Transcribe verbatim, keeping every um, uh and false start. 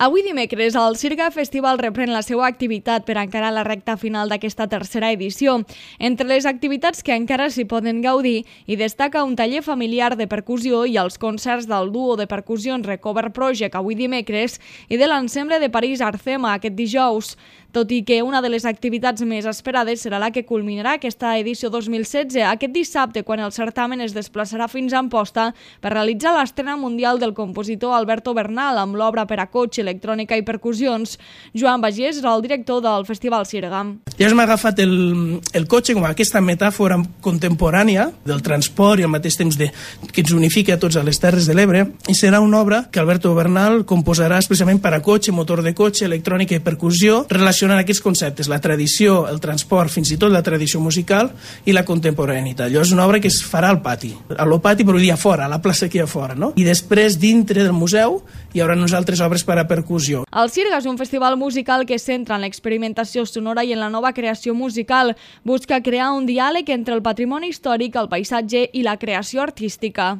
Avui dimecres, el Sirga Festival reprèn la seva activitat per encarar la recta final d'aquesta tercera edició. Entre les activitats que encara s'hi poden gaudir, hi destaca un taller familiar de percussió i els concerts del duo de percussions Recover Project avui dimecres i de l'ensemble de París Arcema aquest dijous. Tot i que una de les activitats més esperades serà la que culminarà aquesta edició dos mil setze, aquest dissabte, quan el certamen es desplaçarà fins a Amposta per realitzar l'estrena mundial del compositor Alberto Bernal amb l'obra per a cotxe, electrònica i percussions. Joan Bagés és el director del Festival Sirga. Ja m'ha agafat el, el cotxe com aquesta metàfora contemporània del transport i al mateix temps de, que ens unifica a tots a les Terres de l'Ebre, i serà una obra que Alberto Bernal composarà especialment per a cotxe, motor de cotxe, electrònica i percussió, relacionant aquests conceptes, la tradició, el transport, fins i tot la tradició musical i la contemporaneïtat. Allò és una obra que es farà al pati, a lo pati però allà fora, a la plaça aquí a fora, no? I després, dintre del museu, hi haurà unes altres obres per a percussió. El Sirga és un festival musical que es centra en l'experimentació sonora i en la nova creació musical. Busca crear un diàleg entre el patrimoni històric, el paisatge i la creació artística.